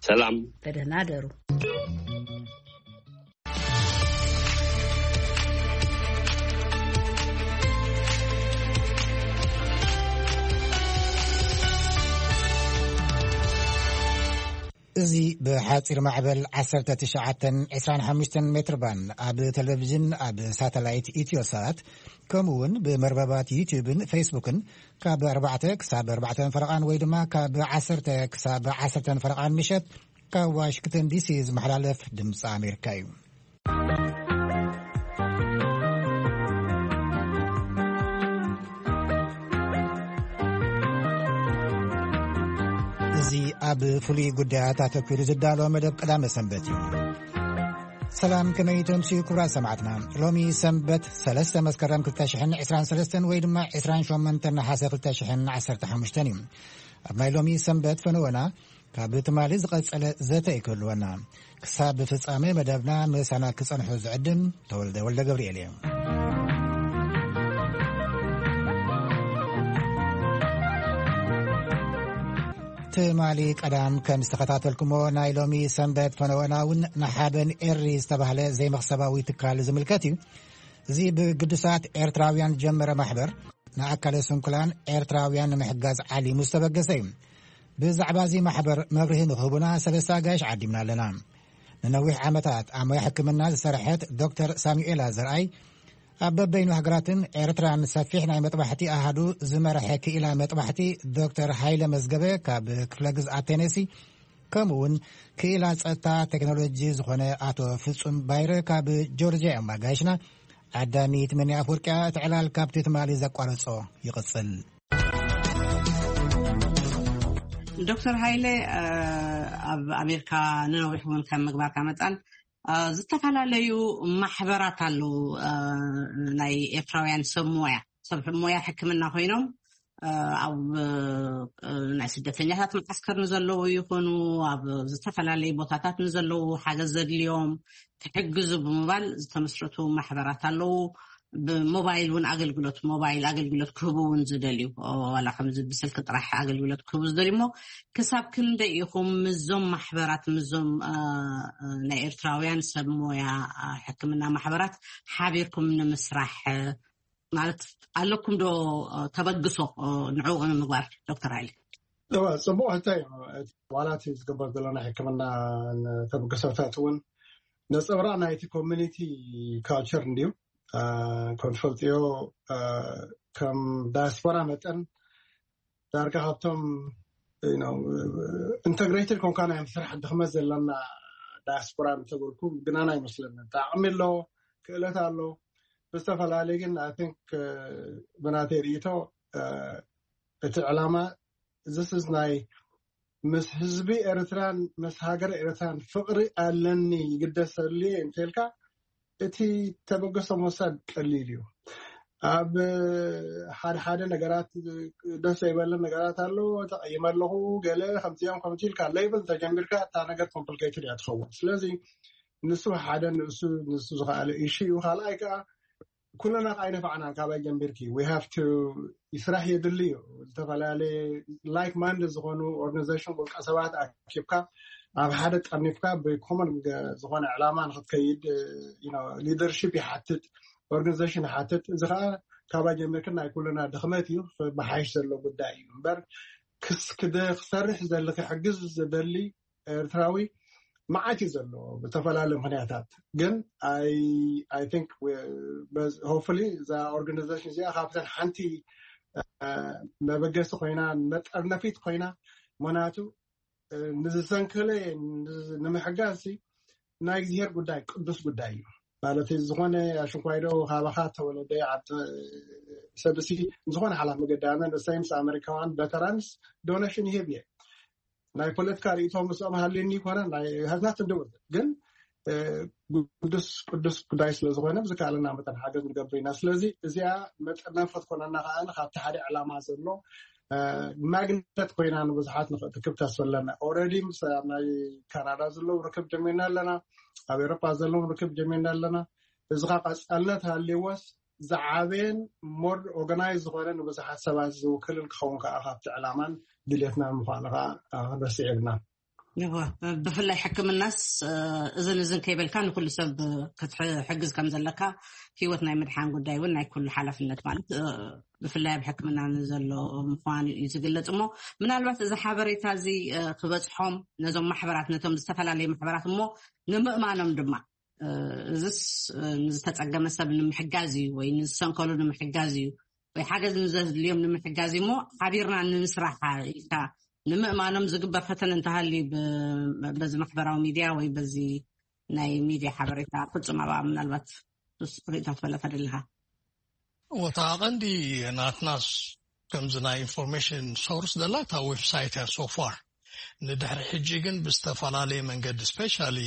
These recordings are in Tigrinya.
ሰላም። ብደህና ደሩ። እዚ ብሓጺር ማዕበል ዓሰርተ ትሽዓተን ዕስራን ሓሙሽተን ሜትር ባንድ ኣብ ቴሌቪዥን፣ ኣብ ሳተላይት ኢትዮሳት፣ ከምኡ እውን ብመርበባት ዩቲዩብን ፌስቡክን ካብ ኣርባዕተ ክሳብ ኣርባዕተን ፈረቓን ወይ ድማ ካብ ዓሰርተ ክሳብ ዓሰርተን ፈረቓን ምሸት ካብ ዋሽንግተን ዲሲ ዝመሓላለፍ ድምፂ ኣሜሪካ እዩ። እዚ ኣብ ፍሉይ ጉዳያት ኣተኲሩ ዝዳሎ መደብ ቀዳመ ሰንበት እዩ። ሰላም፣ ከመይ ተምስዩ ክቡራት ሰማዕትና? ሎሚ ሰንበት ሰለስተ መስከረም ክልተ ሽሕን ዕስራን ሰለስተን ወይ ድማ ዕስራን ሸሞንተን ነሓሰ ክልተ ሽሕን ዓሰርተ ሓሙሽተን እዩ። ኣብ ናይ ሎሚ ሰንበት ፈነወና ካብ ትማሊ ዝቐጸለ ዘተ ይክህልወና። ክሳብ ፍጻሜ መደብና ምሳና ክጸንሑ ዝዕድም ተወልደ ወልደ ገብርኤል እየ። ትማሊ ቀዳም ከም ዝተኸታተልኩሞ ናይ ሎሚ ሰንበት ፈነወና እውን ንሓበን ኤሪ ዝተባህለ ዘይመኽሰባዊ ትካል ዝምልከት እዩ። እዚ ብግዱሳት ኤርትራውያን ጀመረ ማሕበር ንኣካለ ስንኩላን ኤርትራውያን ንምሕጋዝ ዓሊሙ ዝተበገሰ እዩ። ብዛዕባ እዚ ማሕበር መብርሂ ንክህቡና ሰለስተ ኣጋይሽ ዓዲምና ኣለና። ንነዊሕ ዓመታት ኣብ ሞያ ሕክምና ዝሰርሐት ዶክተር ሳሙኤላ ዘርኣይ ኣብ በበይኑ ሃገራትን ኤርትራን ሰፊሕ ናይ መጥባሕቲ ኣሃዱ ዝመርሐ ክኢላ መጥባሕቲ ዶክተር ሃይለ መዝገበ ካብ ክፍለ ግዝኣት ቴነሲ፣ ከምኡ እውን ክኢላ ጸጥታ ቴክኖሎጂ ዝኾነ ኣቶ ፍጹም ባይረ ካብ ጆርጅያ እዮም ኣጋይሽና። ዓዳሚ ትምኒ ኣፍወርቅያ እቲ ዕላል ካብቲ ትማሊ ዘቋረጾ ይቕጽል። ዶክተር ሃይለ፣ እ፣ ኣብ ኣሜሪካ ንነዊሕ እውን ከም ምግባርካ መጠን፣ እ፣ ዝተፈላለዩ ማሕበራት ኣለዉ፣ እ፣ ናይ ኤርትራውያን ሰብ ሞያ፣ ሰብ ሞያ ሕክምና ኮይኖም፣ እ፣ ኣብ፣ እ፣ ናይ ስደተኛታት መዓስከር ንዘለዉ ይኹኑ፣ ኣብ ዝተፈላለዩ ቦታታት ንዘለዉ ሓገዝ ዘድልዮም ክሕግዙ ብምባል ዝተመስረቱ ማሕበራት ኣለዉ። ብሞባይል እውን ኣገልግሎት፣ ሞባይል ኣገልግሎት ክህቡ እውን ዝደልዩ፣ ኦ፣ ዋላ ከምዚ ብስልኪ ጥራሕ ኣገልግሎት ክህቡ ዝደልዩ እሞ፣ ክሳብ ክንደይ ኢኹም ምስዞም ማሕበራት፣ ምስዞም፣ እ፣ እ፣ ናይ ኤርትራውያን ሰብ ሞያ፣ እ፣ ሕክምና ማሕበራት ሓቢርኩም ንምስራሕ፣ እ፣ ማለት ኣለኩም ዶ፣ እ፣ ተበግሶ፣ እ፣ ንዕኡ ንምግባር? ዶክተር ሃይለ። እወ፣ ጽቡቕ ሕቶ እዩ። ዋላ እቲ ዝግበር ዘሎ ናይ ሕክምና ተበግሶታት እውን ነጸብራቕ ናይቲ ኮሚኒቲ ካልቸር እንድዩ። እ፣ ከም ትፈልጥዮ፣ እ፣ ከም ዳያስፖራ መጠን ዳርጋ ካብቶም፣ you know፣ ኢንተግሬትድ ኮንካ ናይ ምስራሕ ድኽመት ዘለና ዳያስፖራ እንተበልኩ ግናና ኣይመስለንን። ዓቕሚ ኣሎ፣ ክእለት ኣሎ። ብዝተፈላለየ ግን፣ I think፣ እ፣ ብናተይ ርእይቶ፣ እ፣ እቲ ዕላማ፣ this is ናይ ምስ ህዝቢ ኤርትራን ምስ ሃገር ኤርትራን ፍቕሪ ኣለኒ፣ ይግደሰሉ እየ እንተልካ፣ እቲ ተበገሶ ምውሳድ ቀሊል እዩ። ኣብ ሓደ ሓደ ነገራት ደስ ዘይበለ ነገራት ኣሎ፣ ተቐይመ ኣለኹ፣ ገለ ከምዚኦም ከምዚ ኢልካ ሌብል ተጀሚርካ፣ እታ ነገር ኮምፕሊኬትድ እያ ትኸውን። ስለዚ ንሱ ሓደ ንእሱ፣ ንሱ ዝኸኣለ ኢሹ እዩ። ካልኣይ ከኣ፣ ኩልና ከኣ ኣይነፋዕናን፣ ካባይ ጀሚርኪ፣ we have to፣ ስራሕ የድሊ እዩ። ዝተፈላለየ ላይክ ማይንድ ዝኾኑ ኦርጋናይዜሽን፣ ውልቀ ሰባት ኣኪብካ፣ ኣብ ሓደ ጠርኒፍካ ብኮመን ዝኾነ ዕላማ ንክትከይድ፣ you know፣ ሊደርሺፕ ይሓትት፣ ኦርጋናይዜሽን ይሓትት። እዚ ከኣ ካባይ ጀሚርኪ ናይ ኩልና ድኽመት እዩ፣ ብሓይሽ ዘሎ ጉዳይ እዩ እምበር፣ ክስ-፣ ክደ-፣ ክሰርሕ ዝደሊ፣ ክሕግዝ ዝደሊ ኤርትራዊ መዓት እዩ ዘሎ ብዝተፈላለዩ ምኽንያታት። ግን I think ሆፕፉሊ እዛ ኦርጋናይዜሽን እዚኣ ካብተን ሓንቲ፣ እ፣ መበገሲ ኮይና፣ መጠርነፊት ኮይና፣ ምኽንያቱ፣ እ፣ ንዝሰንከለ ንምሕጋዝ ሲ ናይ እግዚኣብሔር ጉዳይ ቅዱስ ጉዳይ እዩ። ማለት ዝኾነ ኣሽንኳይዶ ካባኻ ተወለደ ዓዲ ሰብሲ ዝኾነ ሓላፍ መገዲ ኣነ ንሰይምስ ኣመሪካውያን ቨተራንስ ዶኔሽን ይህብ እየ። ናይ ፖለቲካ ርእይቶ ምስኦም ሃልየኒ ይኮነ፣ ናይ has nothing to do with it። ግን፣ እ፣ ቅዱስ፣ ቅዱስ ጉዳይ ስለ ዝኾነ ብዝከኣለና መጠን ሓገዝ ንገብር ኢና። ስለዚ እዚኣ መጠርነፊ ክትኮነና ከኣ ካብቲ ሓደ ዕላማ ዘሎ፣ እ፣ ማግነት ኮይና ንብዙሓት ንኽትክብ ተስፋ ኣለና። ኦልሬዲ ምስ ኣብ ናይ ካናዳ ዘለዉ ርክብ ጀሚርና ኣለና፣ ኣብ ኤውሮጳ ዘለዉ ርክብ ጀሚርና ኣለና። እዚ ኸኣ ቀጻልነት ሃልይዎስ ዝዓበየን ሞር ኦርጋናይዝ ዝኾነ ንብዙሓት ሰባት ዝውክልን ክኸውን ከኣ ካብቲ ዕላማን ድሌትናን ምዃኑ ከኣ፣ እ፣ ክንረስዕ የብልናን። እወ፣ ብፍላይ ሕክምናስ እዝን እዝን ከይበልካ ንኩሉ ሰብ ክትሕግዝ ከም ዘለካ፣ ህይወት ናይ ምድሓን ጉዳይ እውን ናይ ኩሉ ሓላፍነት ማለት ብፍላይ ኣብ ሕክምና ንዘሎ ምዃኑ እዩ ዝግለጽ። እሞ ምናልባት እዚ ሓበሬታ እዚ ክበጽሖም ነዞም ማሕበራት፣ ነቶም ዝተፈላለዩ ማሕበራት እሞ ንምእማኖም ድማ እዝስ ንዝተጸገመ ሰብ ንምሕጋዝ እዩ ወይ ንዝሰንከሉ ንምሕጋዝ እዩ ወይ ሓገዝ ንዘድልዮም ንምሕጋዝ እዩ እሞ ሓቢርና ንምስራሕ ኢልካ ንምእማኖም ዝግበር ፈተነ እንተሃልዩ በዚ ማሕበራዊ ሚድያ ወይ በዚ ናይ ሚድያ ሓበሬታ ፍጹም ኣብኣ ምናልባት ርኢቶ ትፈለፈ ደለኻ? ወታ ቀንዲ ናትናስ ከምዚ ናይ ኢንፎርሜሽን ሶርስ ዘላ እታ ዌብሳይት እያ ሶፋር። ንድሕሪ ሕጂ ግን ብዝተፈላለየ መንገዲ ስፔሻሊ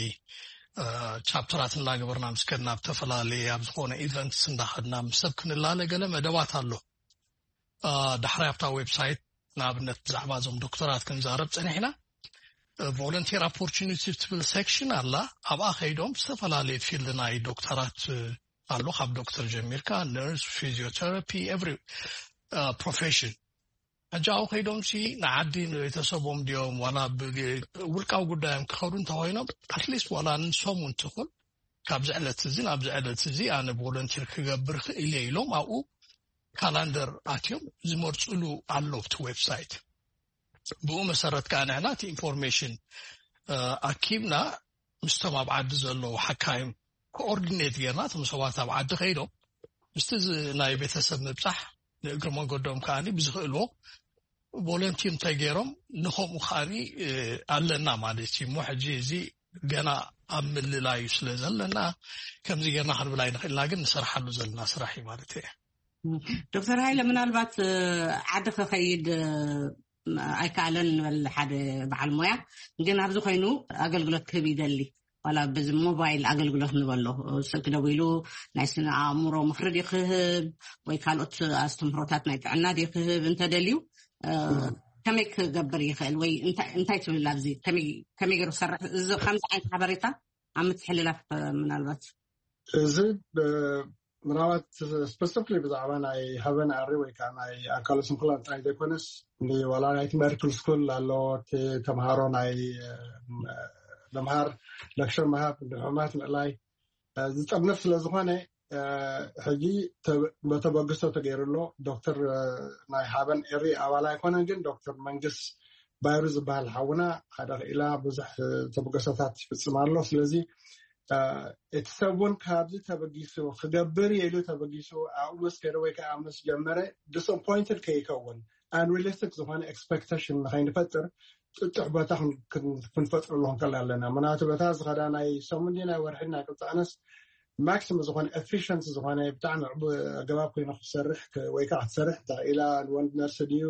ቻፕተራት እናገበርና ምስ ከድና ብተፈላለየ ኣብ ዝኾነ ኢቨንትስ እንዳኸድና ምስ ሰብ ክንላለ ገለ መደባት ኣሎ። ዳሕራይ ኣብታ ዌብሳይት ንኣብነት ብዛዕባ እዞም ዶክተራት ክንዛረብ ፀኒሕና። ቮለንቲር ኦፖርቹኒቲ ትብል ሴክሽን ኣላ። ኣብኣ ከይዶም ዝተፈላለየ ፊልድ ናይ ዶክተራት ኣሎ፣ ካብ ዶክተር ጀሚርካ ነርስ፣ ፊዚዮቴራፒ፣ ኤቭሪ ፕሮፌሽን። ሕጂ ኣብኡ ከይዶም ሲ ንዓዲ ንቤተሰቦም ድዮም ዋላ ውልቃዊ ጉዳዮም ክኸዱ እንተኮይኖም ኣትሊስት ዋላ ንሶም እውን ትኹን ካብዚ ዕለት እዚ ናብዚ ዕለት እዚ ኣነ ቮለንቲር ክገብር ክእል እየ ኢሎም ኣብኡ ካላንደር ኣትዮም ዝመርፅሉ ኣሎ እቲ ዌብሳይት። ብኡ መሰረት ከዓ ንሕና እቲ ኢንፎርሜሽን ኣኪብና ምስቶም ኣብ ዓዲ ዘለዉ ሓካይም ኮኦርዲኔት ጌርና እቶም ሰባት ኣብ ዓዲ ከይዶም ምስቲ ናይ ቤተሰብ ምብፃሕ ንእግሪ መንገዶም ከዓ ብዝኽእልዎ ቮለንቲር እንተገይሮም ንኸምኡ ከዓ ኣለና ማለት እዩ። እሞ ሕጂ እዚ ገና ኣብ ምልላዩ ስለ ዘለና ከምዚ ጌርና ክንብል ኣይንኽእልና፣ ግን ንሰርሓሉ ዘለና ስራሕ እዩ ማለት እየ። ዶክተር ሃይለ፣ ምናልባት ዓዲ ክኸይድ ኣይከኣለን ንበል ሓደ በዓል ሞያ፣ ግን ኣብዚ ኮይኑ ኣገልግሎት ክህብ ይደሊ ዋላ በዚ ሞባይል ኣገልግሎት ንበሎ ስልክ ደዊሉ ናይ ስነ ኣእምሮ ምኽሪ ድዩ ክህብ ወይ ካልኦት ኣስተምህሮታት ናይ ጥዕና ድዩ ክህብ እንተደልዩ ከመይ ክገብር ይኽእል ወይ እንታይ ትብል? ኣብዚ ከመይ ገይሩ ክሰርሕ እዚ ከምዚ ዓይነት ሓበሬታ ኣብ ምትሕልላፍ ምናልባት እዚ ምናልባት ስፐሲፊክሊ ብዛዕባ ናይ ሃበን ኣሪ ወይ ከዓ ናይ ኣካለ ስንኩላን ጥራይ ዘይኮነስ ዋላ ናይቲ መርክል ስኩል ኣሎ፣ ተምሃሮ ናይ ምምሃር ለክሸር ምሃብ ድሑማት ምእላይ ዝጠርንፍ ስለዝኾነ ሕጂ በተበግሶ ተገይሩ ኣሎ። ዶክተር ናይ ሃበን ኤሪ ኣባል ኣይኮነን፣ ግን ዶክተር መንግስ ባይሩ ዝበሃል ሓውና ሓደ ክኢላ ብዙሕ ተበገሶታት ይፍፅም ኣሎ። ስለዚ እቲ ሰብ እውን ካብዚ ተበጊሱ ክገብር ኢሉ ተበጊሱ ኣብኡ ምስ ከደ ወይ ከዓ ምስ ጀመረ ዲስኣፖይንትድ ከይከውን ኣንሪሊስቲክ ዝኾነ ኤክስፐክቴሽን ንኸይንፈጥር ጥጡሕ ቦታ ክንፈጥረሉ ክንከል ኣለና። ምክንያቱ በታ ዝኸዳ ናይ ሰሙን ናይ ወርሒ ናይ ቅብፃ ኣነስ ማክሲም ዝኾነ ኤፊሽንሲ ዝኾነ ብጣዕሚ ኣገባብ ኮይኑ ክትሰርሕ ወይ ከዓ ክትሰርሕ ኢላ ወንድ ነርስ ድዩ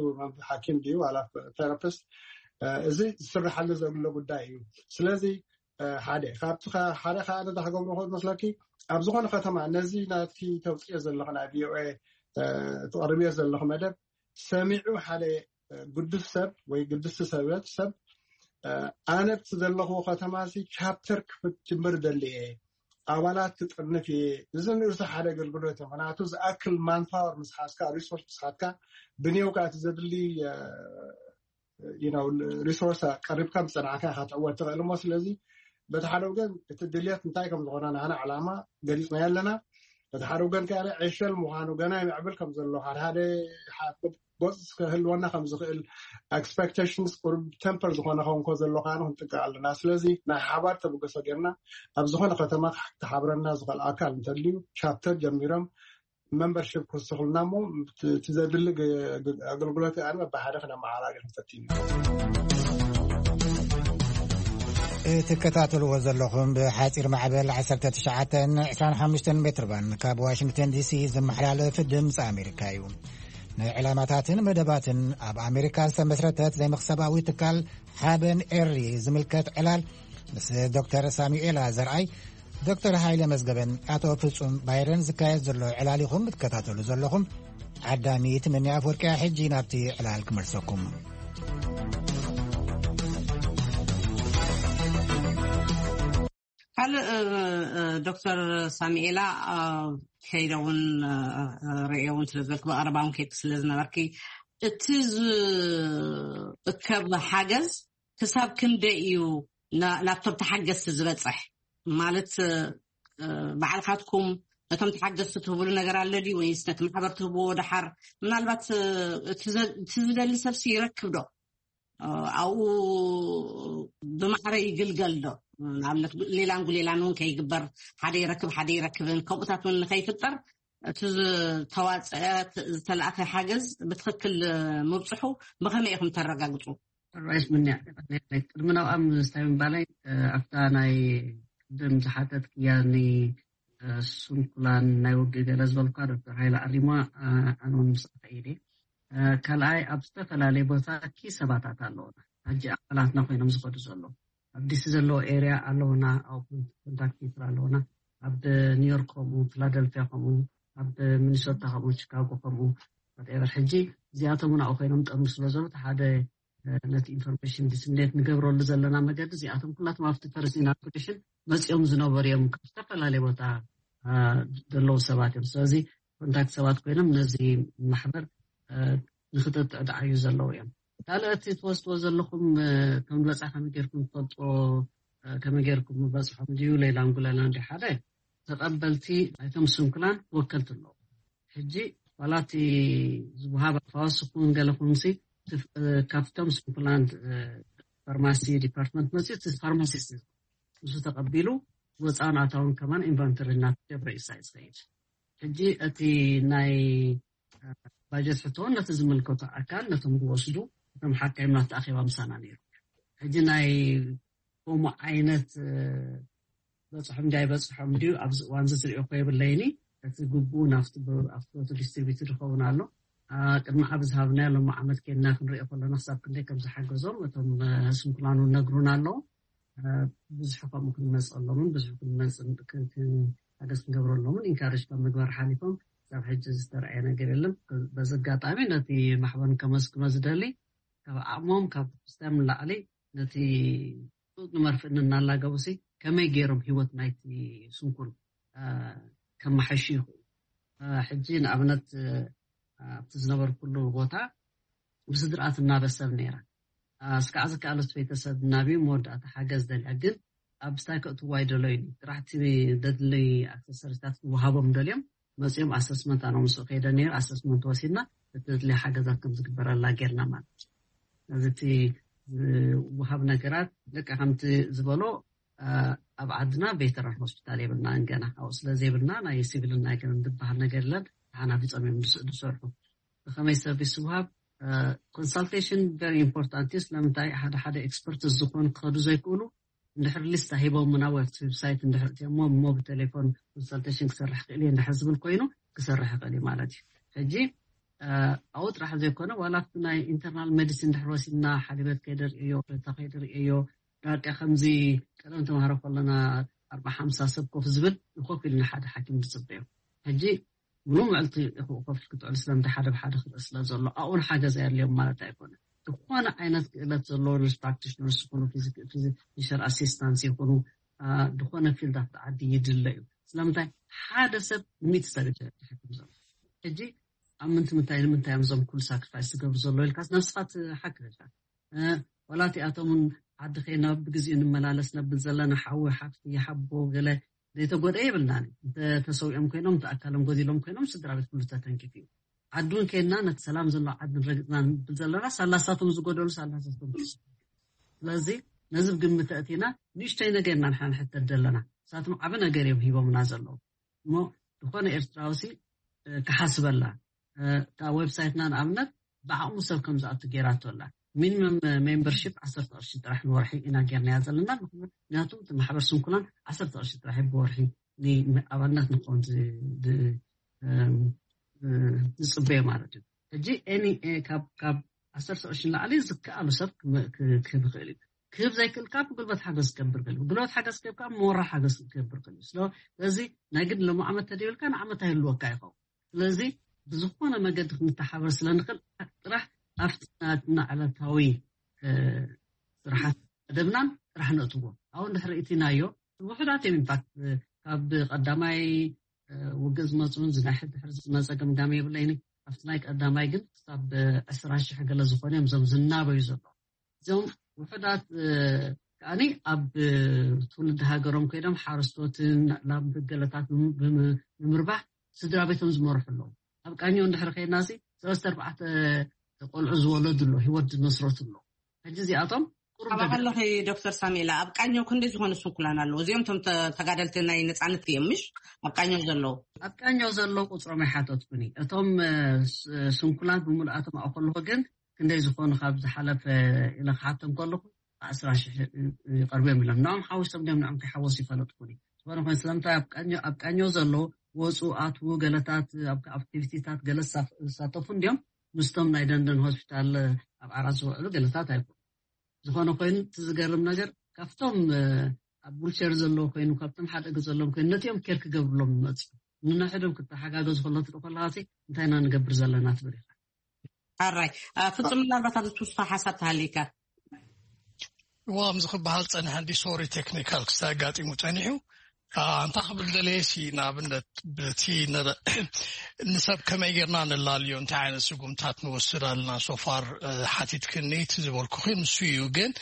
ሓኪም ድዩ ዋላ ቴራፒስት እዚ ዝስርሓሉ ዘሎ ጉዳይ እዩ። ስለዚ ሓደ ካብቲ ሓደ ከዓ ተታክገብሮ ክመስለኪ ኣብ ዝኾነ ከተማ ነዚ ናትኪ ተውፅኦ ዘለኹ ናይ ቪኦኤ ትቐርብዮ ዘለኹ መደብ ሰሚዑ ሓደ ግዱስ ሰብ ወይ ግዱስ ሰበት ሰብ ኣነ ኣብቲ ዘለኹዎ ከተማ ሲ ቻፕተር ክፍትምር ደሊ እየ ኣባላት ክጥርንፍ እየ። እዚ ንርእሱ ሓደ ኣገልግሎት እዩ። ምክንያቱ ዝኣክል ማንፓወር ምስሓዝካ ሪሶርስ ምስሓዝካ ብኔውካ እቲ ዘድሊ ሪሶርስ ቀሪብካ ምፀናዕካ ኢካ ትዕወት ትኽእል እሞ ስለዚ በቲ ሓደ ወገን እቲ ድልየት እንታይ ከም ዝኾነ ናህና ዕላማ ገሊፅናዮ ኣለና። በቲ ሓደ ወገን ከ ዕሸል ምዃኑ ገና ይምዕብል ከም ዘሎ ሓደ ሓደ ጎፅ ክህልወና ከም ዝኽእል ኤክስፐክቴሽንስ ቁሩብ ተምፐር ዝኾነ ከውን ከ ዘሎ ከዓኑ ክንጥንቀቕ ኣለና። ስለዚ ናይ ሓባር ተበገሶ ጌርና ኣብ ዝኾነ ከተማ ክሓብረና ዝኽእል ኣካል እንተልዩ ቻፕተር ጀሚሮም መምበርሽፕ ክውስኹልና እሞ እቲ ዘድሊ ኣገልግሎት ኣነ በብሓደ ክነመዓራሪ ክንፈትን እዩ። እትከታተልዎ ዘለኹም ብሓፂር ማዕበል ዓሰርተ ትሽዓተ ዕስራን ሓሙሽተን ሜትር ባንድ ካብ ዋሽንግተን ዲሲ ዝመሓላለፍ ድምፂ ኣሜሪካ እዩ። ንዕላማታትን መደባትን ኣብ ኣሜሪካ ዝተመስረተት ዘይመኽሰባዊ ትካል ሓበን ኤሪ ዝምልከት ዕላል ምስ ዶክተር ሳሙኤላ ዘርኣይ፣ ዶክተር ሃይለ መዝገበን ኣቶ ፍጹም ባይረን ዝካየድ ዘሎ ዕላል ኢኹም እትከታተሉ ዘለኹም። ዓዳሚ ትምኒ ኣፍወርቅያ ሕጂ ናብቲ ዕላል ክመልሰኩም። ካልእ ዶክተር ሳሙኤላ ከይደ እውን ርእየ እውን ስለዝበልክ ብቐረባ እውን ከይድክ ስለዝነበርኪ እቲ ዝእከብ ሓገዝ ክሳብ ክንደይ እዩ ናብቶም ተሓገዝቲ ዝበፅሕ? ማለት ባዕልካትኩም ነቶም ተሓገዝቲ ትህብሉ ነገር ኣሎ ድዩ ወይስ ነቲ ማሕበር ትህብዎ ደሓር? ምናልባት እቲ ዝደሊ ሰብሲ ይረክብ ዶ? ኣብኡ ብማዕረ ይግልገል ዶ? ንኣብነት ሌላን ጉሌላን እውን ከይግበር፣ ሓደ ይረክብ ሓደ ይረክብን ከምኡታት እውን ንከይፍጠር እቲ ዝተዋፀአ ዝተላእከ ሓገዝ ብትክክል ምብፅሑ ብከመይ ኢኹም ተረጋግፁ? ራይት ምንያ ቅድሚ ናብኣ ምስታይ ምባላይ ኣብታ ናይ ቅድም ዝሓተት ክያኒ ስንኩላን ናይ ውግእ ገለ ዝበልኳ ዶክተር ሃይለ ኣሪማ ኣነ እውን ምስኣ ከይደ። ካልኣይ ኣብ ዝተፈላለየ ቦታ ኪ ሰባታት ኣለውና። ሕጂ ኣባላትና ኮይኖም ዝኸዱ ዘለዉ ኣብ ዲሲ ዘለዎ ኤርያ ኣለውና፣ ኣብ ኮንታክት ሴንተር ኣለውና፣ ኣብ ኒውዮርክ ከምኡ፣ ፊላደልፊያ ከምኡ፣ ኣብ ሚኒሶታ ከምኡ፣ ቺካጎ ከምኡ፣ whatever። ሕጂ እዚኣቶም እውን ኣብኡ ኮይኖም ጠምሩ ስለ ዘለዉ እቲ ሓደ ነቲ ኢንፎርሜሽን ዲስሚኔት ንገብረሉ ዘለና መገዲ እዚኣቶም ኩላቶም ኣብቲ ፈርስት ኢናጉሬሽን መፂኦም ዝነበሩ እዮም። ካብ ዝተፈላለየ ቦታ ዘለዉ ሰባት እዮም። ስለዚ ኮንታክት ሰባት ኮይኖም ነዚ ማሕበር ንክተጥዕድዓዩ ዘለዉ እዮም። ካልእ እቲ ትወስድዎ ዘለኹም ከም ዝበፅሐ ከመይ ጌርኩም ትፈልጥዎ? ከመይ ጌርኩም ምበፅሖም ድዩ ሌላ ንጉለና እንዲ ሓደ ተቐበልቲ ናይቶም ስንኩላን ወከልቲ ኣለዉ። ሕጂ ዋላ እቲ ዝወሃብ ኣፋወስ ክውን ገለ ኩንሲ ካብቶም ስንኩላን ፋርማሲ ዲፓርትመንት መፅኡ እቲ ፋርማሲስት ንሱ ተቐቢሉ ወፃውን ኣታውን ከማን ኢንቨንተሪ እናተገብረ እዩ ሳይ ዝኸይድ። ሕጂ እቲ ናይ ባጀት ሕቶውን ነቲ ዝምልከቶ ኣካል ነቶም ዝወስዱ እቶም ሓካይም ናተኣኼባ ምሳና ነይሩ። ሕጂ ናይ ከምኡ ዓይነት በፅሖም እንዲ ኣይበፅሖም ድዩ ኣብዚ እዋን እዚ ዝሪኦ ኮ የብለይኒ። እቲ ግቡእ ናብቲ ቦቱ ዲስትሪቢዩትድ ይኸውን ኣሎ። ቅድሚ ዓብ ዝሃብናዮ ሎም ዓመት ኬድና ክንሪኦ ከለና ክሳብ ክንደይ ከም ዝሓገዞም እቶም ስንኩላን እውን ነግሩና ኣለዉ። ብዙሕ ከምኡ ክንመፀሎምን ብዙሕ ክንመፅ ሓገዝ ክንገብረሎምን ኢንካሬጅ ካብ ምግባር ሓሊፎም ክሳብ ሕጂ ዝተረኣየ ነገር የለን። በዚ ኣጋጣሚ ነቲ ማሕበር ከመስግኖ ዝደሊ ካብ ዓቕሞም ካብ ስታም ንላዕሊ ነቲ ጡጥ ንመርፍእ እናላገቡ ሲ ከመይ ገይሮም ህይወት ናይቲ ስንኩል ከመሓይሹ ይኽእሉ። ሕጂ ንኣብነት ኣብቲ ዝነበርኩሉ ቦታ ብስድርኣ ትናበሰብ ነይራ። እስካዕ ዝከኣለስ ቤተሰብ ናብዩ መወዳእታ ሓገዝ ደልያ ግን ኣብ ስታይ ከእትዋ ይደለዩ ጥራሕ እቲ ደድለይ ኣክሰሰሪታት ክወሃቦም ደልዮም መፂኦም ኣሰስመንት ኣነ ምስኡ ከይደ ነይሩ ኣሰስመንት ወሲድና እቲ ደድለይ ሓገዛት ከም ዝግበረላ ጌርና ማለት እዩ። ነዚ እቲ ዝወሃብ ነገራት ደቂ ከምቲ ዝበሎ ኣብ ዓድና ቬተራን ሆስፒታል የብልና ገና ኣብኡ ስለ ዘይብልና ናይ ሲቪልን ናይ ገና ዝበሃል ነገር የለን። ተሓናፊፆም እዮም ዝሰርሑ ብከመይ ሰርቪስ ዝወሃብ ኮንሳልቴሽን ቨሪ ኢምፖርታንት እዩ። ስለምንታይ ሓደ ሓደ ኤክስፐርት ዝኾኑ ክኸዱ ዘይክእሉ እንድሕር ሊስታ ሂቦም ናብ ዌብሳይት እንድሕር እትሞ እሞ ብቴሌፎን ኮንሳልቴሽን ክሰርሕ ክእል እየ እንድሕር ዝብል ኮይኑ ክሰርሕ ይኽእል እዩ ማለት እዩ። ሕጂ ኣብኡ ጥራሕ ዘይኮነ ዋላ ኣብቲ ናይ ኢንተርናል ሜዲሲን እንድሕር ወሲድና ሓሊበት ከይደ ርእዮ ረታ ከይደ ርእዮ ዳቂ ከምዚ ቀደም ተማሃሮ ከለና ኣርባ ሓምሳ ሰብ ኮፍ ዝብል ንኮፍ ኢልና ሓደ ሓኪም ንፅበዮ። ሕጂ ምሉእ ምዕልቲ ኮፍ ክትዕሉ ስለምንታይ ሓደ ብሓደ ክርኢ ስለ ዘሎ ኣብኡን ሓገዝ ኣየድልዮም ማለት ኣይኮነ። ዝኾነ ዓይነት ክእለት ዘለዎ ነርስ ፕራክቲሽነርስ ይኹኑ ፊዚሽን ኣሲስታንስ ይኹኑ ዝኾነ ፊልድ ኣብቲ ዓዲ ይድለ እዩ። ስለምንታይ ሓደ ሰብ ንሚእቲ ሰብ ይሓክም ዘሎ ሕጂ ኣብ ምንቲ ምንታይ ንምንታይ እዮም እዞም ኩሉ ሳክሪፋይስ ዝገብሩ ዘሎ ኢልካስ ነብስኻ ትሓክም ኢልካ ዋላ እቲኣቶም እውን ዓዲ ከይና ብግዜኡ ንመላለስ ነብል ዘለና ሓዊ ሓፍቲ ሓቦ ገለ ዘይተጎደ የብልናን። እንተተሰዊኦም ኮይኖም እንተ ኣካሎም ጎዲሎም ኮይኖም ስድራ ቤት ኩሉ ተተንኪፉ እዩ። ዓዲ እውን ከይና ነቲ ሰላም ዘሎ ዓዲ ንረግፅና ንብል ዘለና ሳላሳቶም ዝጎደሉ ሳላሳቶም ስለዚ ነዚ ብግምት ተእቲና ንእሽተይ ነገር ኢና ንሕና ንሕተት ዘለና። ንሳቶም ዓቢ ነገር እዮም ሂቦምና ዘለዉ እሞ ዝኾነ ኤርትራዊ ሲ ክሓስበላ እታ ዌብሳይትና ንኣብነት ብዓቕሙ ሰብ ከም ዝኣቱ ገይራቶ ኣላ። ሚኒመም ሜምበርሺፕ ዓሰርተ ቅርሺ ጥራሕ ንወርሒ ኢና ጌርናያ ዘለና። ምክንያቱ እቲ ማሕበር ስንኩላን ዓሰርተ ቅርሺ ጥራሕ እዩ ብወርሒ ንኣባልነት ንክኸውን ዝፅበዮ ማለት እዩ። ሕጂ ኤኒ ካብ ዓሰርተ ቅርሺ ንላዕሊ ዝከኣሉ ሰብ ክህብ ይኽእል እዩ። ክህብ ዘይክእል ካብ ጉልበት ሓገዝ ክገብር ክእል ጉልበት ሓገዝ ክህብ ካብ ሞራል ሓገዝ ክገብር ክእል እዩ። ስለዚ ናይ ግድ ሎም ዓመት ተደይብልካ ንዓመት ኣይህልወካ ይኸውን። ስለዚ ብዝኾነ መገዲ ክንተሓበር ስለ ንኽእል ጥራሕ ኣብቲ ናትና ዕለታዊ ስራሓት መደብናን ጥራሕ ነእትዎ። ኣብኡ እንድሕር ርእትናዮ ውሑዳት እዮም ኢንፋክት ካብ ቀዳማይ ውግእ ዝመፁን ዝናይ ሕድሕር ዝመፀ ገምጋም የብለይኒ። ኣብቲ ናይ ቀዳማይ ግን ክሳብ ዕስራ ሽሕ ገለ ዝኾነ እዮም እዞም ዝናበዩ ዘለዉ። እዞም ውሑዳት ከዓኒ ኣብ ትውልዲ ሃገሮም ኮይኖም ሓረስቶትን ናብ ገለታት ብምርባሕ ስድራ ቤቶም ዝመርሑ ኣለዉ። ኣብ ቃኘው እንድሕር ከይድና ሲ ሰለስተ ኣርባዕተ ቆልዑ ዝወለዱ ኣሎ፣ ህይወት ዝመስረቱ ኣሎ። ሕጂ እዚኣቶም ቁሩብ ካብ ደገ- ኣለኺ ዶክተር ሳሜላ፣ ኣብ ቃኘው ክንደይ ዝኾኑ ስንኩላን ኣለዉ? እዚኦም እቶም ተ- ተጋደልቲ ናይ ነፃነት እዮም፣ ምሽ? ኣብ ቃኘው ዘለዉ ኣብ ቃኘው ዘለዉ ቁፅሮም ኣይሓተትኩኒ። እቶም ስንኩላን ብምልኣቶም ኣብኡ ከለኹ ግን ክንደይ ዝኾኑ ካብ ዝሓለፈ ኢለ ክሓቶም ከለኹ ኣስራ ሽሕ ይቐርቡ እዮም ኢሎም። ንኦም ሓዊሶም ድም ንኦም ከይሓወሱ ይፈለጥኩኒ። ዝኾነ ኮይኑ ስለምንታይ ኣብ ቃኘው ዘለዉ ወፁ ኣትዉ ገለታት ኣብ ኣክቲቪቲታት ገለ ዝሳተፉ እንዲኦም ምስቶም ናይ ደንደን ሆስፒታል ኣብ ዓራት ዝውዕሉ ገለታት ኣይኮኑ። ዝኾነ ኮይኑ እቲ ዝገርም ነገር ካብቶም ኣብ ዊልቸር ዘለዉ ኮይኑ ካብቶም ሓደ እግሪ ዘለዎም ኮይኑ ነቲኦም ኬር ክገብርሎም ይመፁ። ንንሕዶም ክተሓጋገዙ ከሎ ትርኢ ከለካ እንታይ ኢና ንገብር ዘለና ትብል ኢኻ። ኣራይ ፍፁም ምናልባት ኣብዚ ትውስኻ ሓሳብ ተሃሊካ እዋ ከምዚ ክበሃል ፀንሐ እንዲ ሶሪ ቴክኒካል ክስተ ኣጋጢሙ ፀኒሑ። ኣንታ ክብል ደለየ ሲ ንኣብነት በቲ ንሰብ ከመይ ጌርና ነላልዮ እንታይ ዓይነት ስጉምታት ንወስድ ኣለና ሶፋር ሓቲትክኒ እቲ ዝበልኩኺ ንሱ እዩ። ግን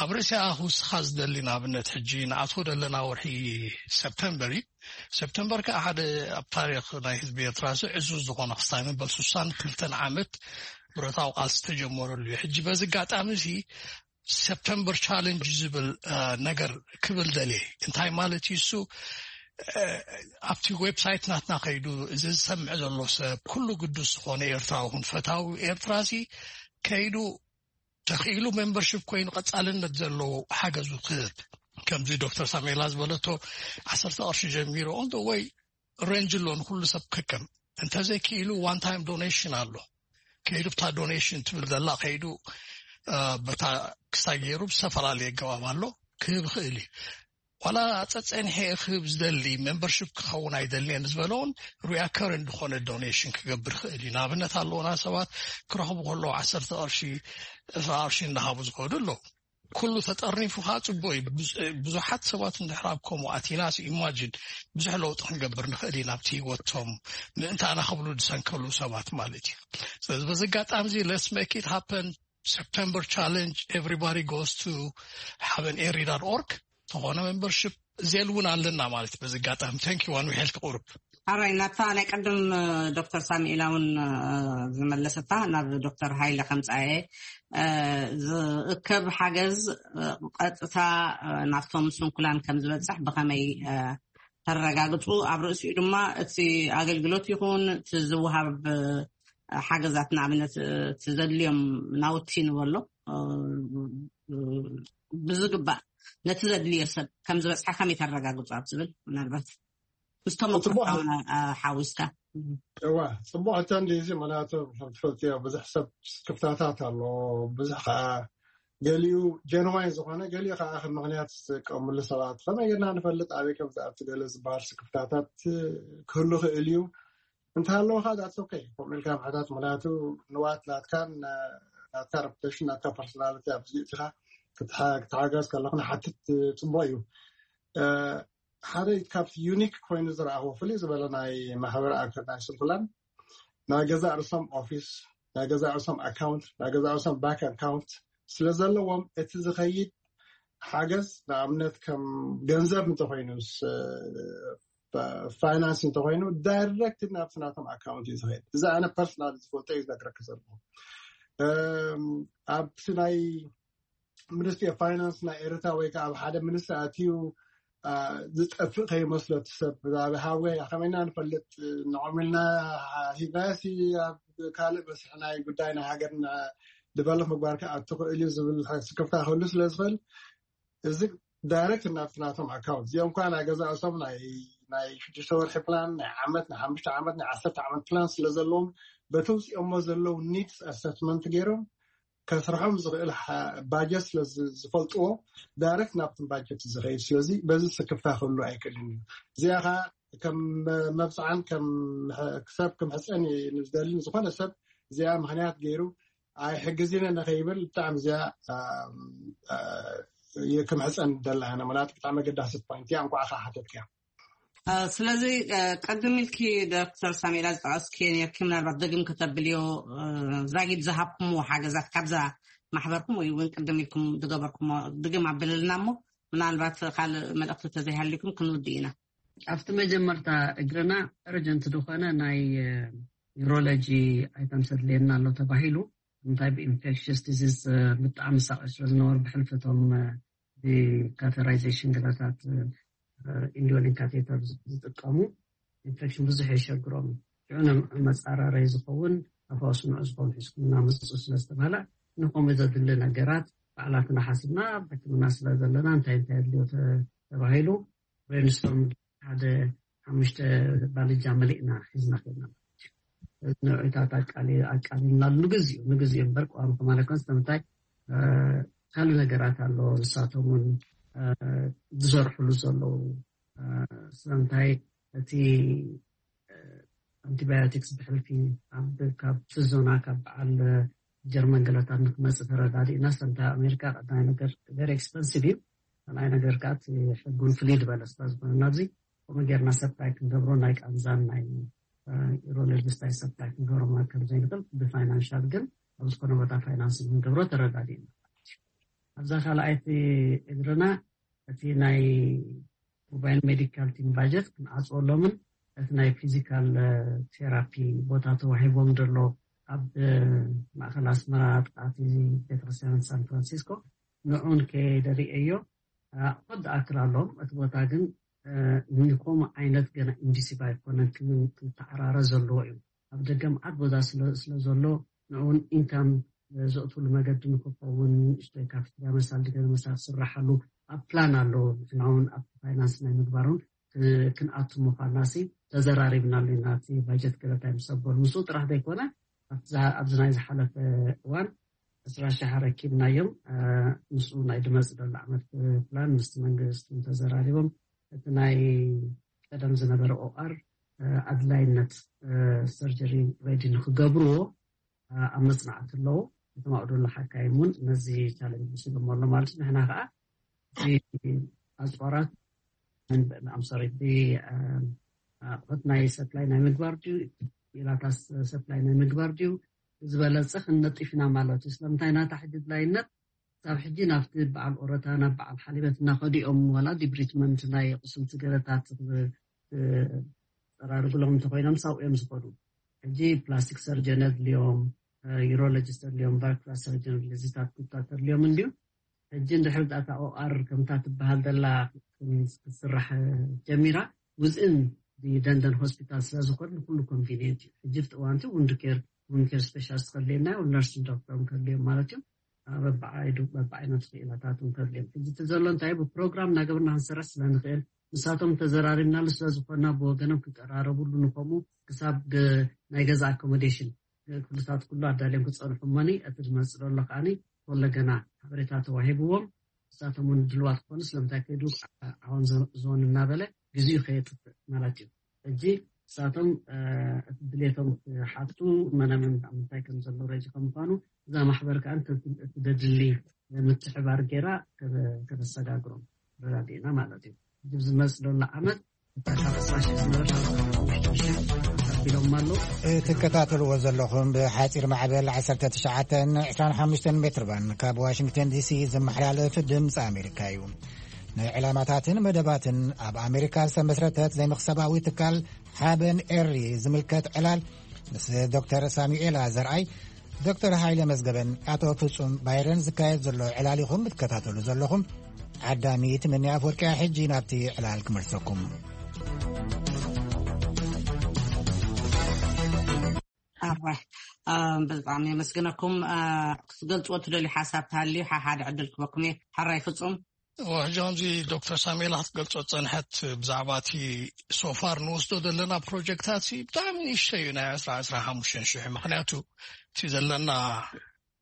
ኣብ ርእሲኣ ክውስኻ ዝደሊ ንኣብነት ሕጂ ንኣትዎ ዘለና ወርሒ ሰፕተምበር እዩ። ሰፕተምበር ከዓ ሓደ ኣብ ታሪክ ናይ ህዝቢ ኤርትራ እዚ ዕዙዝ ዝኾነ ክስታይ መበል ስሳን ክልተን ዓመት ብረታዊ ቃልሲ ዝተጀመረሉ እዩ። ሕጂ በዚ ኣጋጣሚ እዚ ሰፕተምበር ቻለንጅ ዝብል ነገር ክብል ደልየ። እንታይ ማለት እዩ እሱ? ኣብቲ ዌብሳይት ናትና ከይዱ እዚ ዝሰምዕ ዘሎ ሰብ ኩሉ ግዱስ ዝኾነ ኤርትራዊ ኩን ፈታዊ ኤርትራ ሲ ከይዱ ተኽኢሉ ሜምበርሽፕ ኮይኑ ቀፃልነት ዘለዎ ሓገዙ ክህብ ከምዚ ዶክተር ሳሜላ ዝበለቶ ዓሰርተ ቅርሺ ጀሚሩ ኦንዶ ወይ ሬንጅ ኣሎ ንኩሉ ሰብ ክከም እንተዘይክኢሉ ዋን ታይም ዶኔሽን ኣሎ። ከይዱ ብታ ዶኔሽን ትብል ዘላ ከይዱ በታ ክሳይ ገይሩ ብዝተፈላለየ ኣገባብ ኣሎ ክህብ ይኽእል እዩ። ዋላ ፀፀንሐ ክህብ ዝደሊ ሜምበርሽፕ ክኸውን ኣይደልየን ዝበለውን ሪኣከር እንድኾነ ዶኔሽን ክገብር ይኽእል እዩ። ንኣብነት ኣለውና ሰባት ክረኽቡ ከለዉ ዓሰርተ ቅርሺ ዕስራ ቅርሺ እንዳሃቡ ዝኸዱ ኣለዉ። ኩሉ ተጠርኒፉ ከዓ ፅቡቅ እዩ። ብዙሓት ሰባት እንድሕር ኣብ ከምኡ ኣቲናስ ኢማጂን ብዙሕ ለውጢ ክንገብር ንኽእል ኢና ኣብቲ ህይወቶም ምእንታና ክብሉ ዝሰንከሉ ሰባት ማለት እዩ። ስለዚ በዚ ኣጋጣሚ እዚ let's make it happen September challenge everybody goes to haven'erry.org ተኾነ ሜምበርሽፕ ዜል እውን ኣለና ማለት በዚ ኣጋጣሚ thank you one we help ቁሩብ ኣራይ ናታ ናይ ቀደም ዶክተር ሳሚኤላ እውን ዝመለሰታ ናብ ዶክተር ሃይለ ከምፃየ ዝእከብ ሓገዝ ቀጥታ ናብቶም ስንኩላን ከም ዝበፅሕ ብኸመይ ተረጋግፁ ኣብ ርእሲኡ ድማ እቲ ኣገልግሎት ይኹን እቲ ዝወሃብ ሓገዛት ንኣብነት እቲ ዘድልዮም ናውቲ ንበሎ ብዝግባእ ነቲ ዘድልዮ ሰብ ከም ዝበፅሐ ከመይ ተረጋግፁ ኣብ ዝብል ምናልባት ምስቶም ኣቁርባውና ሓዊስካ እዋ ፅቡቅ ሕቶ እንዲ እዚ ምክንያቱ ትፈልጥዮ ብዙሕ ሰብ ክፍታታት ኣሎ ብዙሕ ከዓ ገሊኡ ጀንዋይ ዝኾነ ገሊኡ ከዓ ከም ምክንያት ዝጥቀምሉ ሰባት ከመይ ጌርና ንፈልጥ ኣበይ ከም ዝኣቱ ገለ ዝበሃል ስክፍታታት ክህሉ ክእል እዩ እንተሃለወ ከዓ ዳትስ ኦኬ ከምኡ ኢልካ ምሕታት ምክንያቱ ንዋት ናትካን ናትካ ረፑቴሽን ናትካ ፐርሶናሊቲ ኣብዚ እትኻ ክትሓገዝ ከለኹ ንሓትት ፅቡቅ እዩ ሓደ ካብቲ ዩኒክ ኮይኑ ዝረኣኹ ፍልይ ዝበለ ናይ ማሕበር ኣክል ናይ ስንኩላን ናይ ገዛእ ርእሶም ኦፊስ ናይ ገዛእ ርእሶም ኣካውንት ናይ ገዛእ ርእሶም ባንክ ኣካውንት ስለ ዘለዎም እቲ ዝኸይድ ሓገዝ ንኣብነት ከም ገንዘብ እንተኮይኑ ፋይናንስ እንተኮይኑ ዳይረክት ናብቲ ናቶም ኣካውንት እዩ ዝኸይድ እዚ ኣነ ፐርሶናል ዝፈልጦ እዩ ዝነግረክ ዘለኹ ኣብቲ ናይ ሚኒስትሪ ፋይናንስ ናይ ኤርትራ ወይ ከዓ ኣብ ሓደ ሚኒስትሪ ኣትዩ ዝጠፍእ ከይመስሎ እቲ ሰብ ብዛዕባ ሃወይ ከመይና ንፈልጥ ንዖም ኢልና ሂብናዮ ሲ ኣብ ካልእ መስርሒ ናይ ጉዳይ ናይ ሃገር ዲቨሎፕ ምግባር ክኣቱ ክእል እዩ ዝብል ስክፍታ ክህሉ ስለ ዝኽእል እዚ ዳይረክት ናብቲ ናቶም ኣካውንት እዚኦም ኳ ናይ ገዛእሶም ናይ ሽዱሽተ ወርሒ ፕላን ናይ ዓመት ናይ ሓሙሽተ ዓመት ናይ ዓሰርተ ዓመት ፕላን ስለ ዘለዎም በቲ ውፅኦሞ ዘለዉ ኒድስ ኣሰስመንት ገይሮም ከስርሖም ዝኽእል ባጀት ስለ ዝፈልጥዎ ዳይረክት ናብቲ ባጀት ዝኸይድ ስለዚ በዚ ስክፍታ ክህሉ ኣይክእልን እዩ እዚኣ ከዓ ከም መብፅዓን ሰብ ክምሕፀን ንዝደሊ ዝኾነ ሰብ እዚኣ ምክንያት ገይሩ ኣይሕግዝነ ንኸይብል ብጣዕሚ እዚኣ ክምሕፀን ደላ ምክንያቱ ብጣዕሚ ኣገዳሲት ፖይንት እያ እንኳዕ ከዓ ሓተትክያ ስለዚ ቀድም ኢልኪ ዶክተር ሳሜላ ዝጠቀስኪ ነርኪ ምናልባት ደግም ከተብልዮ ዛጊድ ዝሃብኩምዎ ሓገዛት ካብዛ ማሕበርኩም ወይ እውን ቅድም ኢልኩም ዝገበርኩሞ ድግም ኣብልልና እሞ፣ ምናልባት ካልእ መልእኽቲ ተዘይሃልዩኩም ክንውድእ ኢና። ኣብቲ መጀመርታ እግርና እርጀንት ዝኾነ ናይ ዩሮሎጂ ኣይተም ሰድልየና ኣሎ ተባሂሉ። እንታይ ብኢንፌክሽስ ዲዚዝ ብጣዕሚ ሳቂ ስለ ዝነበሩ ብሕልፈቶም ብካተራይዜሽን ገለታት ኢንዲዮሊን ካቴተር ዝጥቀሙ ኢንፌክሽን ብዙሕ የሸግሮም። ሽዑ መፃራረይ ዝኸውን ኣፋውስ ንዑ ዝኸውን ሒዝኩም እናመፅኡ ስለ ዝተባሃለ ንኸምኡ ዘድሊ ነገራት ባዕላትና ሓስብና ኣብ ሕክምና ስለ ዘለና እንታይ እንታይ ኣድልዮ ተባሂሉ ብሬንስቶርም ሓደ ሓሙሽተ ባልጃ መሊእና ሒዝና ከድና። ንዑታት ኣቃሊልናሉ ንግዜኡ ንግዜኡ እምበር ቀዋሚ ከማለት ኮን ስለምንታይ ካልእ ነገራት ኣሎ። ንሳቶም እውን ዝሰርሕሉ ዘለዉ ስለምንታይ እቲ ኣንቲባዮቲክስ ብሕልፊ ካብ ዞና ካብ በዓል ጀርመን ገለታት ንክመፅእ ተረዳዲእና። ሰምታ ኣሜሪካ ቀዳማይ ነገር very expensive እዩ። ካልኣይ ነገር ከዓ እቲ ሕጉን ፍልይ ዝበለ ስለ ዝኾነ ናብዚ ከምኡ ጌርና ሰፕላይ ክንገብሮ ናይ ቃንዛን ናይ ዩሮሎጂስት ናይ ሰፕላይ ክንገብሮ ማለት ከም ዘይንኽእል ብፋይናንሻል ግን ኣብ ዝኾነ ቦታ ፋይናንስ ክንገብሮ ተረዳዲእና። ኣብዛ ካልኣይቲ እግርና እቲ ናይ ሞባይል ሜዲካል ቲም ባጀት ክንዓፅወሎምን እቲ ናይ ፊዚካል ቴራፒ ቦታ ተዋሂቦም ዘሎ ኣብ ማእከል ኣስመራ ጥቃቲ ቤተክርስትያን ሳን ፍራንሲስኮ ንዑን ከደርእዮ ክወድ ኣክል ኣሎም እቲ ቦታ ግን ንኮም ዓይነት ገና ኢንዲሲቭ ኣይኮነን ክተዓራረ ዘለዎ እዩ። ኣብ ደገ መዓት ቦታ ስለ ዘሎ ንዕውን ኢንካም ዘእትሉ መገዲ ንክኸውን ንእሽተይ ካፍትያ መሳል ድገ መሳል ክስራሓሉ ኣብ ፕላን ኣሎ። ንሕና እውን ኣብ ፋይናንስ ናይ ምግባሩን ክንኣቱ ምዃንና ሲ ተዘራሪብናሉ ኢና። እቲ ባጀት ገለታይ ምስ ኣበሉ ምስኡ ጥራሕ ዘይኮነ ኣብዚ ናይ ዝሓለፈ እዋን ዕስራ ሺሕ ኣረኪብናዮም። ምስኡ ናይ ድመፅ ደሎ ዓመት ፕላን ምስቲ መንግስቲ ተዘራሪቦም እቲ ናይ ቀደም ዝነበረ ኦኣር ኣድላይነት ሰርጀሪ ሬዲ ንክገብርዎ ኣብ መፅናዕቲ ኣለዉ። እቶም ኣብኡ ዘለዉ ሓካይም እውን ነዚ ቻለንጅ ወሲዶሞ ኣሎ ማለት እዩ። ንሕና ከዓ እዚ ኣፅዋራት ኣምሶሪ ኣቁሑት ናይ ሰፕላይ ናይ ምግባር ድዩ ኢላታ ሰፕላይ ናይ ምግባር ድዩ ዝበለፀ ክንነጢፍ ኢና ማለት እዩ። ስለምንታይ ናታ ሕጂ ድላይነት ክሳብ ሕጂ ናብቲ በዓል ኦረታ ናብ በዓል ሓሊበት እናኸዱ እዮም። ዋላ ዲብሪትመንት ናይ ቁስልቲ ገለታት ፀራርግሎም እንተኮይኖም ሳው እዮም ዝኸዱ። ሕጂ ፕላስቲክ ሰርጀን ኣድልዮም፣ ዩሮሎጂስት ኣድልዮም፣ ቫስኩላር ሰርጀን ኣድልዮ ዝታት ኩታተር ድልዮም እንድዩ። ሕጂ እንድሕር ዳታ ኦኣር ከምታ ትበሃል ዘላ ክትስራሕ ጀሚራ ውዝእን ደንደን ሆስፒታል ስለ ዝኾነ ንኩሉ ኮንቪኒየንት እዩ። ሕጂ ፍቲ እዋንቲ ውንድ ኬር ውንድ ኬር ስፔሻሊስት ከድልየና እዩ፣ ነርሲን ዶክተር ከድልዮም ማለት እዩ። በብዓይነቱ ክኢላታት ከድልዮም። ሕጂ እቲ ዘሎ እንታይ ብፕሮግራም እናገበርና ክንሰርሕ ስለ ንኽእል ንሳቶም ተዘራሪብናሉ ስለ ዝኾንና ብወገኖም ክቀራረቡሉ ንኸምኡ ክሳብ ናይ ገዛ ኣኮሞዴሽን ኩልታት ኩሉ ኣዳልዮም ክፀንሑ እሞኒ እቲ ዝመፅእ ዘሎ ከዓኒ ወለገና ሓበሬታ ተዋሂብዎም ንሳቶም እውን ድልዋት ክኾኑ ስለምንታይ ከይዱ ዓወን ዞን እናበለ ግዜኡ ከየጥፍእ ማለት እዩ። ሕጂ ንሳቶም እቲ ድሌቶም ክሓቱ መናመን ምንታይ ከም ዘሎ ረጂ ከም ምኳኑ እዛ ማሕበር ከዓ እቲ ደድሊ ምትሕባር ገይራ ከተሰጋግሮም ረዳዲእና ማለት እዩ። ሕጂ ዝመፅ ዘሎ ዓመት ትከታተልዎ ዘለኹም ብሓፂር ማዕበል ዓሰርተ ትሽዓተ ዕስራን ሓሙሽተን ሜትር ባንድ ካብ ዋሽንግተን ዲሲ ዝመሓላለፍ ድምፂ ኣሜሪካ እዩ። ናይ ዕላማታትን መደባትን ኣብ ኣሜሪካ ዝተመስረተት ዘይመክሰባዊ ትካል ሓበን ኤሪ ዝምልከት ዕላል ምስ ዶክተር ሳሙኤላ ዘርኣይ፣ ዶክተር ሃይለ መዝገበን ኣቶ ፍጹም ባይረን ዝካየድ ዘሎ ዕላል ኢኹም እትከታተሉ ዘለኹም። ዓዳሚ ትምኒ ኣፍወርቅያ ሕጂ ናብቲ ዕላል ክመልሰኩም። ብጣዕሚ የመስግነኩም። ክትገልፅዎ ትደልዩ ሓሳብ ተሃልዩ ሓሓደ ዕድል ክበኩም እየ። ሓራይ ፍጹም። ሕጂ ከምዚ ዶክተር ሳሙኤል ክትገልጾ ዝጸንሐት ብዛዕባ እቲ ሶፋር ንወስዶ ዘለና ፕሮጀክታት ብጣዕሚ ንእሽተይ እዩ፣ ናይ ዕስራ ዕስራ ሓሙሽተ ሽሕ። ምክንያቱ እቲ ዘለና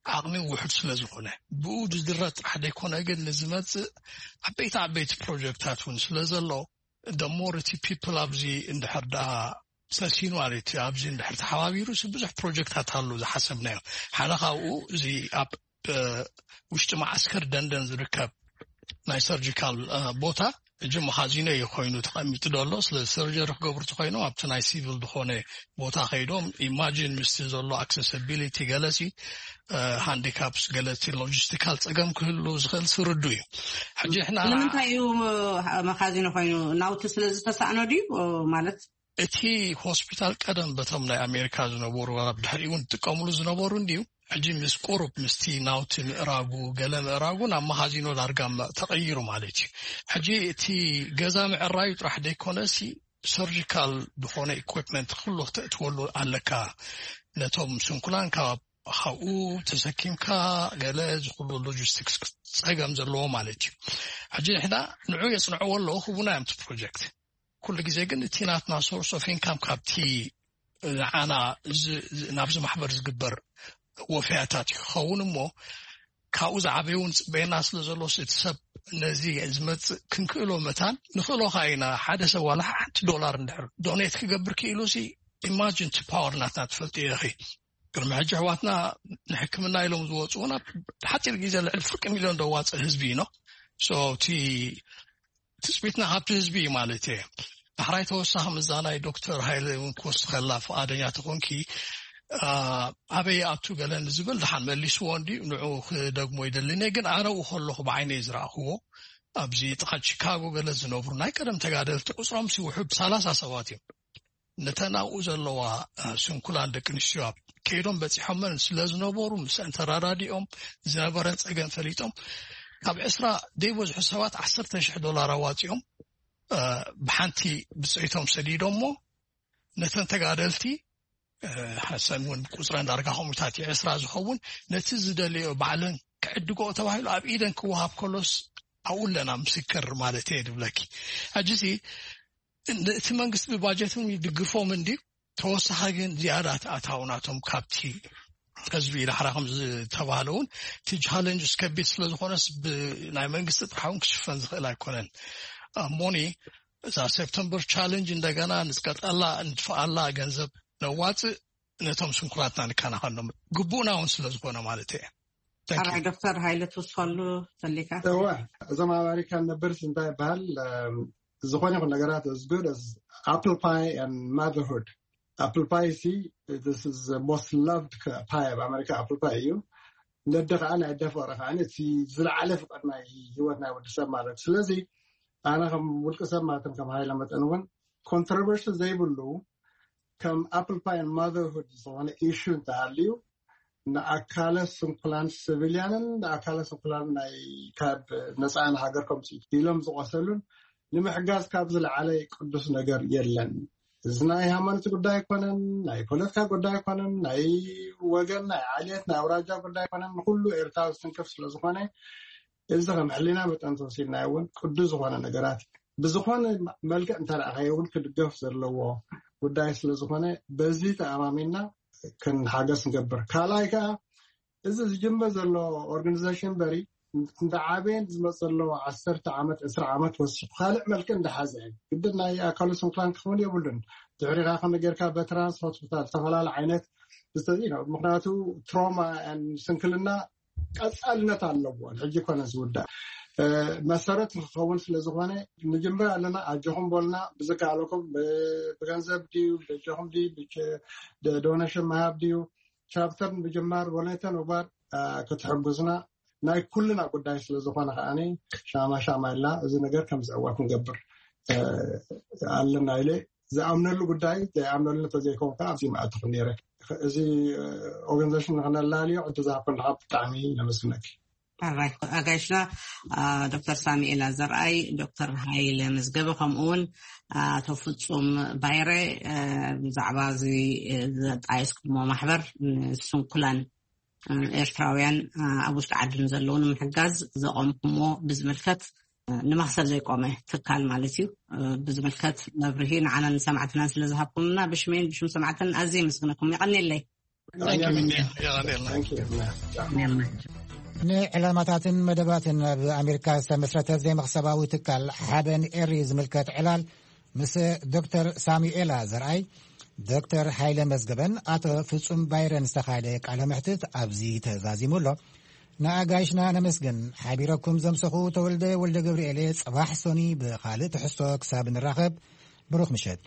ዓቕሚ ውሑድ ስለ ዝኾነ ብኡ ዝድረ ጥራሕ ዘይኮነ ግን ንዝመጽእ ዓበይቲ ዓበይቲ ፕሮጀክታት እውን ስለ ዘሎ ደሞር እቲ ፒፕል ኣብዚ እንድሕር ደኣ ሰሲኑ ማለት እዩ ኣብዚ እንድሕር ተሓባቢሩ ብዙሕ ፕሮጀክታት ኣሉ ዝሓሰብናዮ ሓደ ካብኡ እዚ ኣብ ውሽጢ መዓስከር ደንደን ዝርከብ ናይ ሰርጂካል ቦታ ሕጂ መኻዚኖ እዩ ኮይኑ ተቐሚጡ ዘሎ። ስለ ሰርጀሪ ክገብሩ ተኮይኖም ኣብቲ ናይ ሲቪል ዝኾነ ቦታ ከይዶም ኢማጂን ምስቲ ዘሎ ኣክሰሲቢሊቲ ገለሲ ሃንዲካፕስ ገለቲ ሎጂስቲካል ጸገም ክህሉ ዝኽእል ስርዱ እዩ። ሕጂ ሕና ንምንታይ እዩ መኻዚኖ ኮይኑ ናውቲ ስለ ዝተሳእኖ ድዩ ማለት? እቲ ሆስፒታል ቀደም በቶም ናይ ኣሜሪካ ዝነበሩ ኣብ ድሕሪኡ እውን ዝጥቀምሉ ዝነበሩ እንድዩ። ሕጂ ምስ ቁሩብ ምስቲ ናውቲ ምእራጉ ገለ ምእራጉ ናብ መኻዚኖ ዳርጋ ተቐይሩ ማለት እዩ። ሕጂ እቲ ገዛ ምዕራዩ ጥራሕ ደይኮነሲ ሰርጂካል ዝኾነ ኢኩፕመንት ኩሉ ክተእትወሉ ኣለካ። ነቶም ስንኩላን ካብ ካብኡ ተሰኪምካ ገለ ዝኩሉ ሎጂስቲክስ ጸገም ዘለዎ ማለት እዩ። ሕጂ ንሕና ንዑ የጽንዕዎ ኣለዉ ክቡና እዮም እቲ ፕሮጀክት። ኩሉ ግዜ ግን እቲ ናትና ሶርስ ኦፍ ኢንካም ካብቲ ንዓና ናብዚ ማሕበር ዝግበር ወፍያታት እዩ ክኸውን እሞ ካብኡ ዝዓበየ እውን ፅበየና ስለ ዘሎ እቲ ሰብ ነዚ ዝመፅእ ክንክእሎ መታን ንኽእሎ ከዓ ኢና ሓደ ሰብ ዋላ ሓንቲ ዶላር እንድሕር ዶኔት ክገብር ክኢሉ ሲ ኢማጅን ቲ ፓወር ናትና ትፈልጥ ኢኺ። ቅድሚ ሕጂ ኣሕዋትና ንሕክምና ኢሎም ዝወፅኡ ናብ ሓፂር ግዜ ልዕሊ ፍርቂ ሚልዮን ደዋፅእ ህዝቢ ኢኖ እቲ ትፅቢትና ካብቲ ህዝቢ እዩ ማለት እየ። ዳሕራይ ተወሳኺ ምዛ ናይ ዶክተር ሃይለ እውን ክወስድ ከላ ፍቓደኛ ተኾንኪ ኣበይ ኣቱ ገለ ንዝብል ድሓን መሊስዎ እንዲ ንዑ ክደግሞ ይደልኒ ግን ኣነኡ ከለኹ ብዓይነይ ዝረእኽዎ ኣብዚ ጥቓ ቺካጎ ገለ ዝነብሩ ናይ ቀደም ተጋደልቲ ቁፅሮም ሲውሑ ብሰላሳ ሰባት እዮም። ነተን ኣብኡ ዘለዋ ስንኩላን ደቂ ኣንስትዮ ኣብ ከይዶም በፂሖመን ስለ ዝነበሩ ምስ እንተረዳዲኦም ዝነበረን ፀገም ፈሊጦም ካብ ዕስራ ደይበዝሑ ሰባት ዓሰርተ ሽሕ ዶላር ኣዋፂኦም ብሓንቲ ብፀይቶም ሰዲዶሞ ነተን ተጋደልቲ ሓሰን እውን ቁፅረን ዳርጋ ከምኡታት ዕስራ ዝኸውን ነቲ ዝደለዮ ባዕለን ክዕድጎ ተባሂሉ ኣብ ኢደን ክወሃብ ከሎስ ኣብኡ ኣለና ምስክር ማለት እየ ድብለኪ። ሕጂ እቲ መንግስቲ ብባጀት እውን ይድግፎም እንድዩ ተወሳኺ ግን ዝያዳ ኣታዊ ናቶም ካብቲ ህዝቢ ዳሕራ ከም ዝተባህለ እውን እቲ ቻለንጅ ከቢድ ስለ ዝኾነስ ብናይ መንግስቲ ጥራሕ እውን ክሽፈን ዝኽእል ኣይኮነን። እሞኒ እዛ ሴፕተምበር ቻለንጅ እንደገና ንዝቀጠላ ንድፍኣላ ገንዘብ ነዋፅእ ነቶም ስንኩላትና ንከናኸኖም ግቡእና እውን ስለ ዝኾነ ማለት እየ። ኣራይ ዶክተር ሃይለ ትውስኸሉ ተሊካ እዋ እዞም ኣብ ኣሜሪካ ንነብርስ እንታይ ይበሃል ዝኾነ ይኹን ነገራት is good as apple pie and motherhood. Apple pie ሲ most loved pie ኣብ ኣሜሪካ apple pie እዩ። ነደ ከዓ ናይ ኣደ ፍቅሪ ከዓ እቲ ዝለዓለ ፍቅር ናይ ህይወት ናይ ወዲ ሰብ ማለት እዩ። ስለዚ ኣነ ከም ውልቂ ሰብ ማለትም ከም ሃይለ መጠን እውን ኮንትሮቨርሲ ዘይብሉ ከም apple pie and motherhood ዝኾነ ኢሹ እንተሃልዩ ንኣካለ ስንኩላን ስቪልያንን ንኣካለ ስንኩላን ናይ ካብ ነፃን ሃገር ከምፅኡ ኢሎም ዝቆሰሉን ንምሕጋዝ ካብ ዝለዓለ ቅዱስ ነገር የለን። እዚ ናይ ሃይማኖት ጉዳይ ኣይኮነን፣ ናይ ፖለቲካ ጉዳይ ኣይኮነን፣ ናይ ወገን ናይ ዓሌት ናይ ኣውራጃ ጉዳይ ኣይኮነን። ንኩሉ ኤርትራዊ ዝትንክፍ ስለዝኾነ እዚ ከም ሕሊና መጠን ተወሲድናዮ እውን ቅዱስ ዝኾነ ነገራት ብዝኾነ መልክዕ እንተረኣኻዮ እውን ክድገፍ ዘለዎ ጉዳይ ስለዝኾነ በዚ ተኣማሚና ክንሓገዝ ንገብር። ካልኣይ ከዓ እዚ ዝጅምር ዘሎ ኦርጋኒዜሽን በሪ እንተዓበየን ዝመፅ ዘለዎ ዓሰርተ ዓመት ዕስራ ዓመት ወሲኹ ካልዕ መልክዕ እንዳሓዘ እዩ ግድን ናይ ኣካሉ ስንኩላን ክኸውን የብሉን። ድሕሪኻ ከመ ጌርካ በትራንስ ሆስፒታል ዝተፈላለዩ ዓይነት ምክንያቱ ትሮማ ስንክልና ቀፃልነት ኣለዎ። ሕጂ ኮነ ዝውዳእ መሰረት ንክኸውን ስለዝኾነ ንጅምር ኣለና። ኣጆኹም በሉና። ብዝከኣለኩም ብገንዘብ ድዩ በጆኹም ድዩ ዶኔሽን ምሃብ ድዩ ቻፕተር ብጅማር ወለተ ምግባር ክትሕግዙና ናይ ኩልና ጉዳይ ስለዝኾነ ከዓኒ ሻማ ሻማ ኢልና እዚ ነገር ከም ዝዕወት ንገብር ኣለና ኢለ ዝኣምነሉ ጉዳይ ዘይኣምነሉ እንተዘይኮን ከዓ ኣብዚ መኣትኹ ነይረ። እዚ ኦርጋኒዜሽን ንክነላልዮ እንተዝሃብኩም ከዓ ብጣዕሚ ነመስግነኪ። ኣራይ ኣጋይሽና ዶክተር ሳሙኤል ኣዘርኣይ፣ ዶክተር ሃይለ መዝገበ ከምኡ እውን ኣቶ ፍጹም ባይረ ብዛዕባ እዚ ዘጣየስኩሞ ማሕበር ንስንኩላን ኤርትራውያን ኣብ ውሽጢ ዓዲ ንዘለዉ ንምሕጋዝ ዘቆምኩሞ ብዝምልከት ንመክሰብ ዘይቆመ ትካል ማለት እዩ። ብዝምልከት መብርሂ ንዓናን ንሰማዕትናን ስለ ዝሃብኩምና ብሽመይን ብሽም ሰማዕትናን ኣዝየ የመስግነኩም። የቐንየለይ። ንዕላማታትን መደባትን ኣብ ኣሜሪካ ዝተመስረተ ዘይመኽሰባዊ ትካል ሓበን ኤሪ ዝምልከት ዕላል ምስ ዶክተር ሳሙኤላ ዘርኣይ፣ ዶክተር ሓይለ መዝገበን ኣቶ ፍጹም ባይረን ዝተኻየደ ቃለ መሕትት ኣብዚ ተዛዚሙ ኣሎ። ንኣጋይሽና ነመስግን። ሓቢረኩም ዘምሰኹ ተወልደ ወልደ ገብርኤል እየ። ጽባሕ ሶኒ ብኻልእ ትሕዝቶ ክሳብ ንራኸብ፣ ብሩኽ ምሸት።